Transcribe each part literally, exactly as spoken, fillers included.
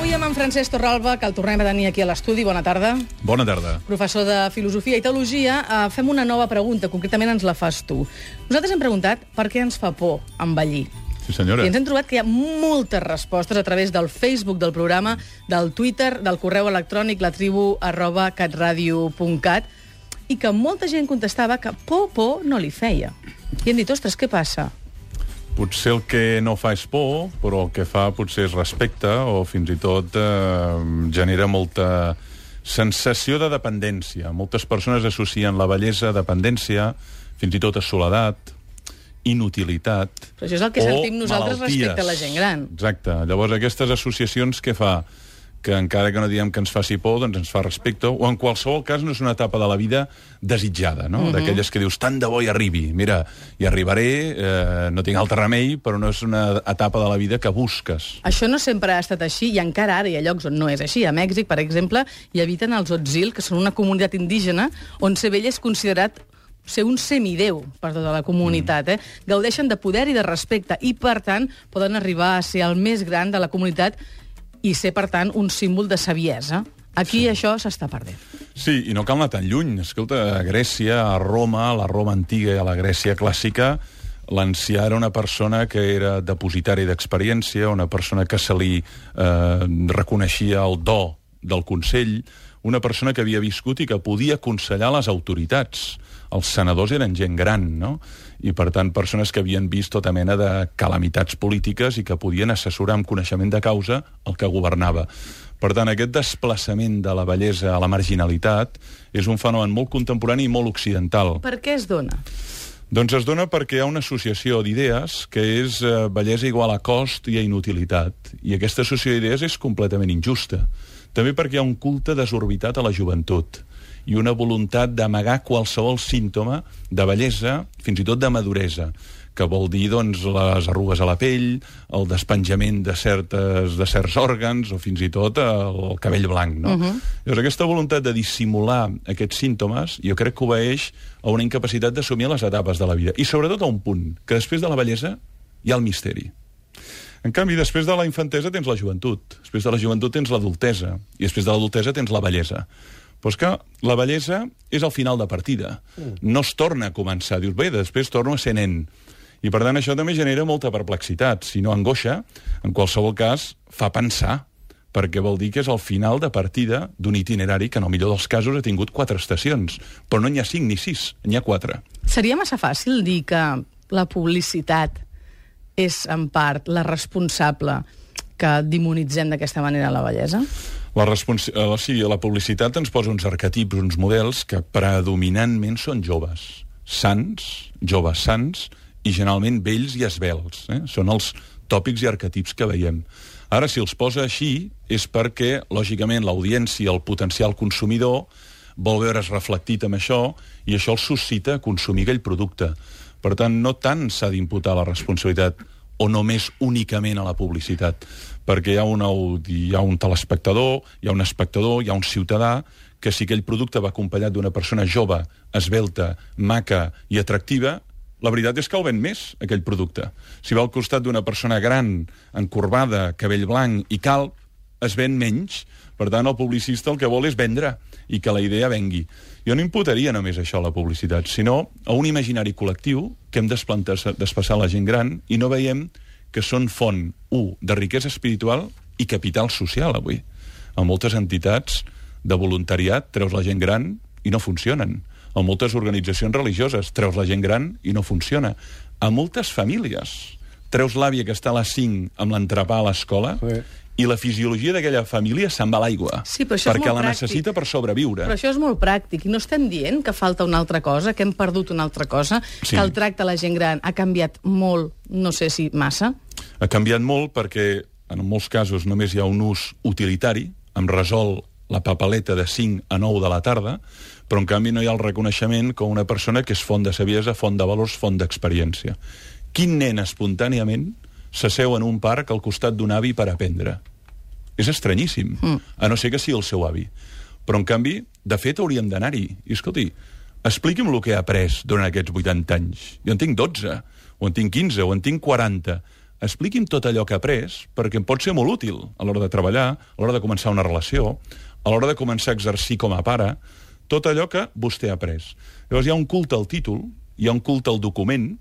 Avui amb en Francesc Torralba, que el tornem a tenir aquí a l'estudi. Bona tarda. Bona tarda. Professor de Filosofia i Teologia. Uh, fem una nova pregunta, concretament ens la fas tu. Nosaltres hem preguntat per què ens fa por envellir. Sí, senyora. I ens hem trobat que hi ha moltes respostes a través del Facebook del programa, del Twitter, del correu electrònic latribu arroba catradio punt cat, i que molta gent contestava que por, por no li feia. I hem dit, ostres, què passa? Potser el que no fa és por, però el que fa potser és respecte o fins i tot eh, genera molta sensació de dependència. Moltes persones associen la bellesa a dependència, fins i tot a soledat, inutilitat. Però això és el que sentim nosaltres malalties. Respecte a la gent gran. Exacte. Llavors, aquestes associacions què fa? Que encara que no diem que ens faci por, doncs ens fa respecte, o en qualsevol cas no és una etapa de la vida desitjada, no? Mm-hmm. D'aquelles que dius, tant de bo hi arribi. Mira, hi arribaré, eh, no tinc altre remei, però no és una etapa de la vida que busques. Això no sempre ha estat així, i encara ara hi ha llocs on no és així. A Mèxic, per exemple, hi habiten els Otzil, que són una comunitat indígena, on ser vell és considerat ser un semidéu per tota la comunitat. Eh? Gaudeixen de poder i de respecte, i, per tant, poden arribar a ser el més gran de la comunitat i ser, per tant, un símbol de saviesa. Aquí sí. Això s'està perdent. Sí, i no cal anar tan lluny. Escolta, a Grècia, a Roma, a la Roma antiga i a la Grècia clàssica, l'ancià era una persona que era depositari d'experiència, una persona que se li eh, reconeixia el do del consell, una persona que havia viscut i que podia aconsellar les autoritats. Els senadors eren gent gran, no? I, per tant, persones que havien vist tota mena de calamitats polítiques i que podien assessorar amb coneixement de causa el que governava. Per tant, aquest desplaçament de la bellesa a la marginalitat és un fenomen molt contemporani i molt occidental. Per què es dona? Doncs es dona perquè hi ha una associació d'idees que és eh, bellesa igual a cost i a inutilitat. I aquesta associació d'idees és completament injusta. També perquè hi ha un culte desorbitat a la joventut i una voluntat d'amagar qualsevol símptoma de bellesa, fins i tot de maduresa, que vol dir, doncs, les arrugues a la pell, el despenjament de, certes, de certs òrgans, o fins i tot el cabell blanc, no? Uh-huh. Llavors, aquesta voluntat de dissimular aquests símptomes, jo crec que obeeix a una incapacitat d'assumir les etapes de la vida. I sobretot a un punt, que després de la bellesa hi ha el misteri. En canvi, després de la infantesa tens la joventut, després de la joventut tens l'adultesa, i després de l'adultesa tens la bellesa. Però és que la bellesa és el final de partida. No es torna a començar. Dius, bé, després torno a ser nen. I, per tant, això també genera molta perplexitat. Si no angoixa, en qualsevol cas, fa pensar, perquè vol dir que és el final de partida d'un itinerari que, en el millor dels casos, ha tingut quatre estacions. Però no n'hi ha cinc ni sis, n'hi ha quatre. Seria massa fàcil dir que la publicitat és, en part, la responsable que demonitzem d'aquesta manera la bellesa? La, respons... eh, sí, la publicitat ens posa uns arquetips, uns models que predominantment són joves. Sants, joves sants, i generalment vells i esvelts. Eh? Són els tòpics i arquetips que veiem. Ara, si els posa així, és perquè, lògicament, l'audiència, el potencial consumidor, vol veure's reflectit amb això, i això el suscita a consumir aquell producte. Per tant, no tant s'ha d'imputar la responsabilitat o només únicament a la publicitat, perquè hi ha, una, hi ha un telespectador, hi ha un espectador, hi ha un ciutadà, que si aquell producte va acompanyat d'una persona jove, esvelta, maca i atractiva, la veritat és que el ven més, aquell producte. Si va al costat d'una persona gran, encorbada, cabell blanc i calb, es ven menys. Per tant, el publicista el que vol és vendre i que la idea vengui. Jo no imputaria només això a la publicitat, sinó a un imaginari col·lectiu que hem desplaçat la gent gran i no veiem que són font, u, de riquesa espiritual i capital social, avui. A moltes entitats de voluntariat treus la gent gran i no funcionen. A moltes organitzacions religioses treus la gent gran i no funciona. A moltes famílies treus l'àvia que està a les cinc amb l'entrepà a l'escola sí. I la fisiologia d'aquella família se'n va a l'aigua, sí, perquè la pràctic. necessita per sobreviure. Però això és molt pràctic, i no estem dient que falta una altra cosa, que hem perdut una altra cosa, sí. Que el tracte a la gent gran ha canviat molt, no sé si massa? Ha canviat molt perquè, en molts casos, només hi ha un ús utilitari, em resol la papeleta de cinc a nou de la tarda, però en canvi no hi ha el reconeixement com una persona que és font de saviesa, font de valors, font d'experiència. Quin nen espontàniament s'asseu en un parc al costat d'un avi per aprendre? És estranyíssim, mm. a no ser que sigui el seu avi. Però, en canvi, de fet, hauríem d'anar-hi. I, escolti, expliqui'm el que he après durant aquests vuitanta anys. Jo en tinc dotze, o en tinc quinze, o en tinc quaranta. expliqui'm tot allò que ha après, perquè em pot ser molt útil a l'hora de treballar, a l'hora de començar una relació, a l'hora de començar a exercir com a pare, tot allò que vostè ha après. Llavors hi ha un culte al títol, hi ha un culte al document,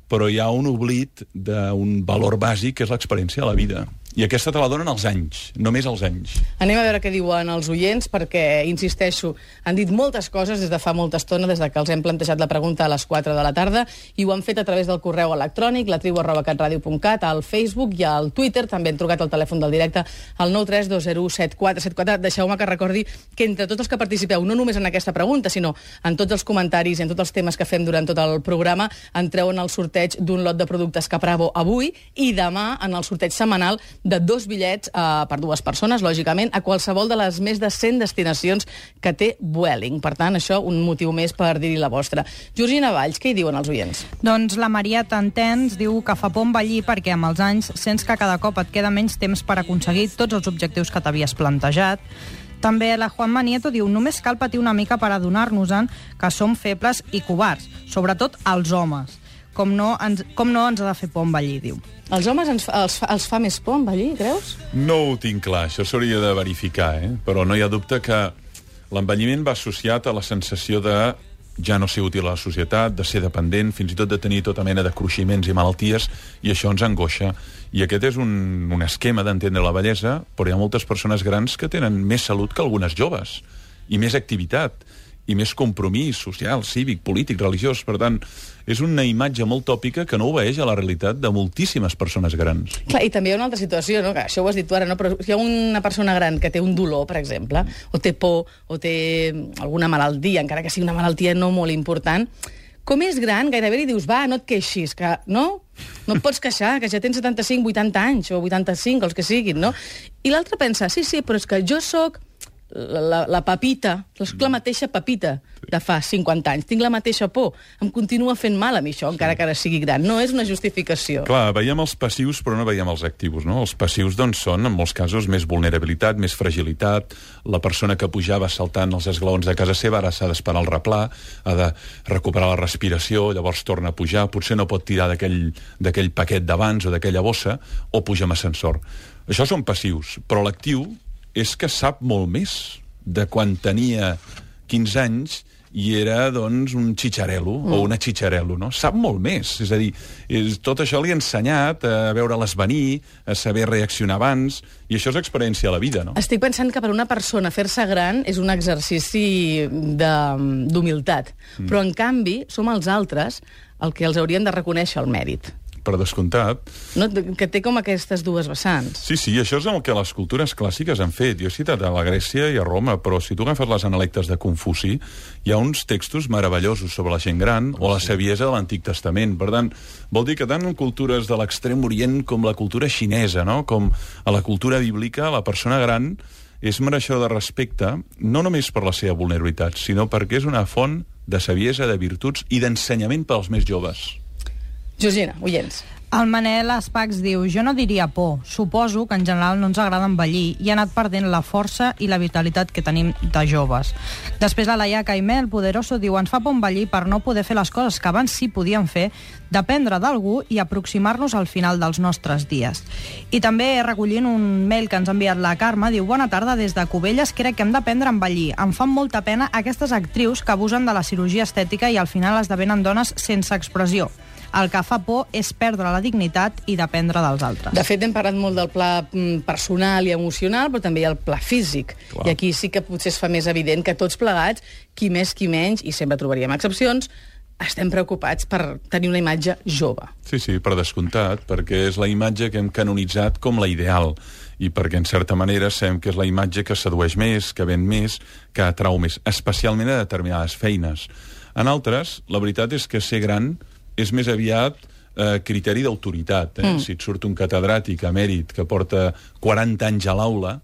però hi ha un oblit d'un valor bàsic, que és l'experiència de la vida. I aquesta te la donen els anys, només els anys. Anem a veure què diuen els oients, perquè, insisteixo, han dit moltes coses des de fa molta estona, des de que els hem plantejat la pregunta a les quatre de la tarda, i ho han fet a través del correu electrònic, la tribu arroba catradio punt cat, al Facebook i al Twitter. També han trucat al telèfon del directe al nou tres dos zero set quatre set quatre. Deixeu-me que recordi que entre tots els que participeu, no només en aquesta pregunta, sinó en tots els comentaris i en tots els temes que fem durant tot el programa, entreu en el sorteig d'un lot de productes Capravo avui i demà en el sorteig setmanal de dos bitllets eh, per dues persones, lògicament, a qualsevol de les més de cent destinacions que té Vueling. Per tant, això, un motiu més per dir-hi la vostra. Georgina Valls, què hi diuen els oients? Doncs la Maria Tantens diu que fa por envellir perquè amb els anys sents que cada cop et queda menys temps per aconseguir tots els objectius que t'havies plantejat. També la Juanma Nieto diu només cal patir una mica per adonar-nos-en que som febles i covards, sobretot els homes. Com no, ens, com no ens ha de fer por envellir, diu. Els homes ens, els, fa, els fa més por envellir, creus? No ho tinc clar, això s'hauria de verificar, eh? Però no hi ha dubte que l'envelliment va associat a la sensació de ja no ser útil a la societat, de ser dependent, fins i tot de tenir tota mena de cruiximents i malalties, i això ens angoixa. I aquest és un, un esquema d'entendre la bellesa, però hi ha moltes persones grans que tenen més salut que algunes joves, i més activitat, i més compromís social, cívic, polític, religiós. Per tant, és una imatge molt tòpica que no obeeix a la realitat de moltíssimes persones grans. Clar, i també hi ha una altra situació, no? Que això ho has dit tu ara, no? Però hi ha una persona gran que té un dolor, per exemple, o té por, o té alguna malaltia, encara que sigui una malaltia no molt important, com és gran, gairebé li dius, va, no et queixis, que no? No et pots queixar, que ja tens setanta-cinc, vuitanta anys, o vuitanta-cinc, els que siguin, no? I l'altre pensa, sí, sí, però és que jo sóc la, la, la Pepita, la mateixa Pepita de fa cinquanta anys. Tinc la mateixa por. Em continua fent mal a mi això, encara que ara sigui gran. No és una justificació. Clar, veiem els passius, però no veiem els actius, no? Els passius, doncs, són, en molts casos, més vulnerabilitat, més fragilitat. La persona que pujava saltant els esglaons de casa seva ara s'ha d'esperar el replà, ha de recuperar la respiració, llavors torna a pujar, potser no pot tirar d'aquell paquet d'abans o d'aquella bossa, o puja amb ascensor. Això són passius, però l'actiu és que sap molt més de quan tenia quinze anys i era, doncs, un xitxarelo, mm. o una xitxarelo, no? Sap molt més. És a dir, és, tot això li ha ensenyat a veure-les venir, a saber reaccionar abans, i això és experiència a la vida, no? Estic pensant que per una persona fer-se gran és un exercici d'humilitat, mm. però, en canvi, som els altres el que els haurien de reconèixer el mèrit. Per descomptat. No, que té com aquestes dues vessants. Sí, sí, això és el que les cultures clàssiques han fet. Jo he citat a la Grècia i a Roma, però si tu agafes les analectes de Confuci, hi ha uns textos meravellosos sobre la gent gran o la saviesa de l'Antic Testament. Per tant, vol dir que tant en cultures de l'extrem orient com la cultura xinesa, no? Com a la cultura bíblica, la persona gran és mereixedor de respecte, no només per la seva vulnerabilitat, sinó perquè és una font de saviesa, de virtuts i d'ensenyament per als més joves. Georgina, oients. El Manel Espacs diu, jo no diria por, suposo que en general no ens agrada envellir i ha anat perdent la força i la vitalitat que tenim de joves. Després la Laia Caimel Poderoso diu, ens fa por envellir per no poder fer les coses que abans sí podíem fer, dependre d'algú i aproximar-nos al final dels nostres dies. I també recollint un mail que ens ha enviat la Carme, diu, bona tarda des de Cubelles, crec que hem d'aprendre a envellir. Em fan molta pena aquestes actrius que abusen de la cirurgia estètica i al final esdevenen dones sense expressió. El que fa por és perdre la dignitat i dependre dels altres. De fet, hem parlat molt del pla personal i emocional, però també hi ha el pla físic. Clar. I aquí sí que potser es fa més evident que tots plegats, qui més, qui menys, i sempre trobaríem excepcions, estem preocupats per tenir una imatge jove. Sí, sí, per descomptat, perquè és la imatge que hem canonitzat com la ideal, i perquè, en certa manera, sabem que és la imatge que sedueix més, que ven més, que atrau més, especialment a determinades feines. En altres, la veritat és que ser gran és més aviat eh, criteri d'autoritat. Eh? Mm. Si et surt un catedràtic emèrit que porta quaranta anys a l'aula,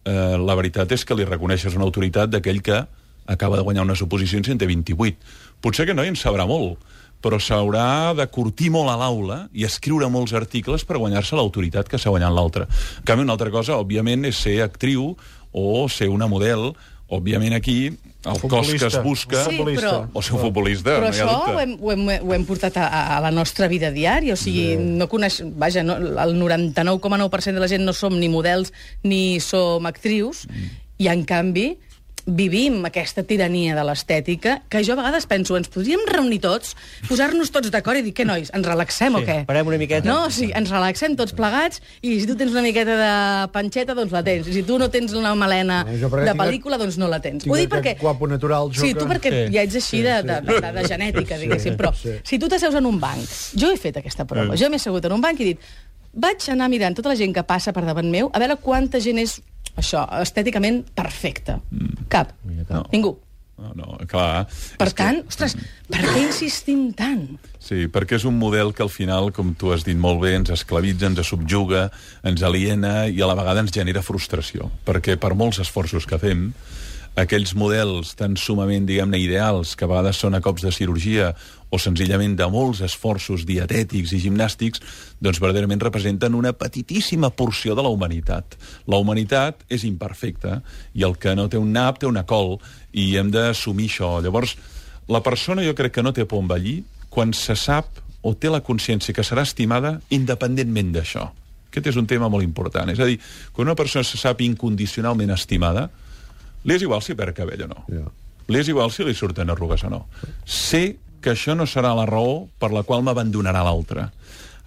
eh, la veritat és que li reconeixes una autoritat d'aquell que acaba de guanyar unes oposicions i en té vint-i-vuit. Potser que no hi en sabrà molt, però s'haurà de curtir molt a l'aula i escriure molts articles per guanyar-se l'autoritat que s'ha guanyat l'altre. En canvi, una altra cosa, òbviament, és ser actriu o ser una model. Òbviament, aquí el cos que es busca, sí, però, o ser un futbolista, però no hi ha això dubte. ho hem, ho, hem, ho hem portat a, a la nostra vida diària, o sigui, sí. no coneix, vaja, no, el noranta-nou coma nou per cent de la gent no som ni models ni som actrius, mm. i en canvi vivim aquesta tirania de l'estètica, que jo a vegades penso, ens podríem reunir tots, posar-nos tots d'acord i dir, què, nois, ens relaxem sí, o què? Parem una miqueta. No, sí, ens relaxem tots plegats, i si tu tens una miqueta de panxeta, doncs la tens. I si tu no tens una melena no, de pel·lícula, doncs no la tens. Ho dic perquè... Guapo natural, jo sí, tu perquè sí. ja ets així sí, de, de, de, de, de genètica, diguéssim, però sí. si tu t'asseus en un banc, jo he fet aquesta prova, mm. jo m'he assegut en un banc i he dit, vaig anar mirant tota la gent que passa per davant meu, a veure quanta gent és això, estèticament perfecte. Mm. Cap. No. Ningú. No, no, clar. Per és tant, que... ostres, per què insistim tant? Sí, perquè és un model que al final, com tu has dit molt bé, ens esclavitza, ens subjuga, ens aliena i a la vegada ens genera frustració. Perquè per molts esforços que fem, aquells models tan sumament, diguem-ne, ideals, que a vegades són a cops de cirurgia o senzillament de molts esforços dietètics i gimnàstics, doncs verdaderament representen una petitíssima porció de la humanitat. La humanitat és imperfecta i el que no té un nap té una col i hem d'assumir això. Llavors, la persona jo crec que no té por a envellir quan se sap o té la consciència que serà estimada independentment d'això. Aquest és un tema molt important. És a dir, quan una persona se sap incondicionalment estimada, li és igual si perd cabell o no. Yeah. Li és igual si li surten arrugues o no. Sé que això no serà la raó per la qual m'abandonarà l'altre.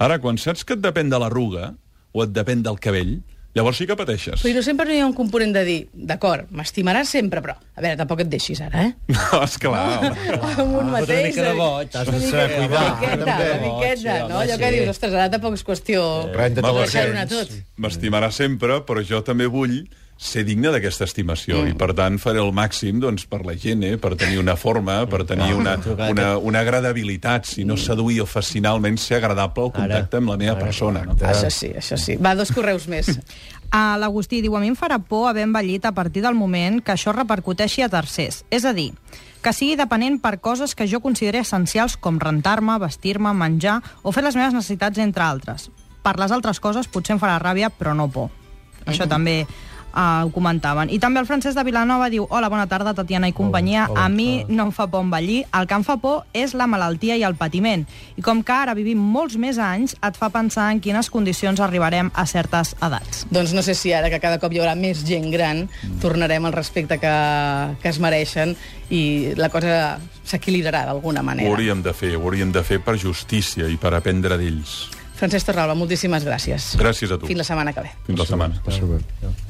Ara, quan saps que et depèn de l'arruga o et depèn del cabell, llavors sí que pateixes. Però no sempre no hi ha un component de dir, d'acord, m'estimaràs sempre, però, a veure, tampoc et deixis ara, eh? No, esclar. Amb un mateix. Una mica de boig. T'has de saber cuidar. Una miqueta, una miqueta, no? Allò que dius, ostres, ara tampoc és qüestió de deixar-ho tot. M'estimarà sempre, però jo també vull ser digne d'aquesta estimació mm. i per tant faré el màxim doncs, per la gent, eh? Per tenir una forma, per tenir una, una, una agradabilitat, si no seduir o fascinalment ser agradable al contacte amb la meva persona. No? Això sí, això sí. Va, dos correus més. Uh, L'Agustí diu, a mi em farà por haver envellit a partir del moment que això repercuteixi a tercers. És a dir, que sigui depenent per coses que jo consideri essencials com rentar-me, vestir-me, menjar o fer les meves necessitats, entre altres. Per les altres coses potser em farà ràbia, però no por. Això mm. també... Uh, ho comentaven. I també el Francesc de Vilanova diu, hola, bona tarda, Tatiana i companyia. Hola, hola, a mi hola. No em fa por envellir. El que em fa por és la malaltia i el patiment. I com que ara vivim molts més anys, et fa pensar en quines condicions arribarem a certes edats. Doncs no sé si ara que cada cop hi haurà més gent gran, mm. tornarem al respecte que, que es mereixen i la cosa s'equilibrarà d'alguna manera. Ho hauríem de fer, ho hauríem de fer per justícia i per aprendre d'ells. Francesc Torralba, moltíssimes gràcies. Gràcies a tu. Fins la setmana que ve. Fins la setmana. Gràcies.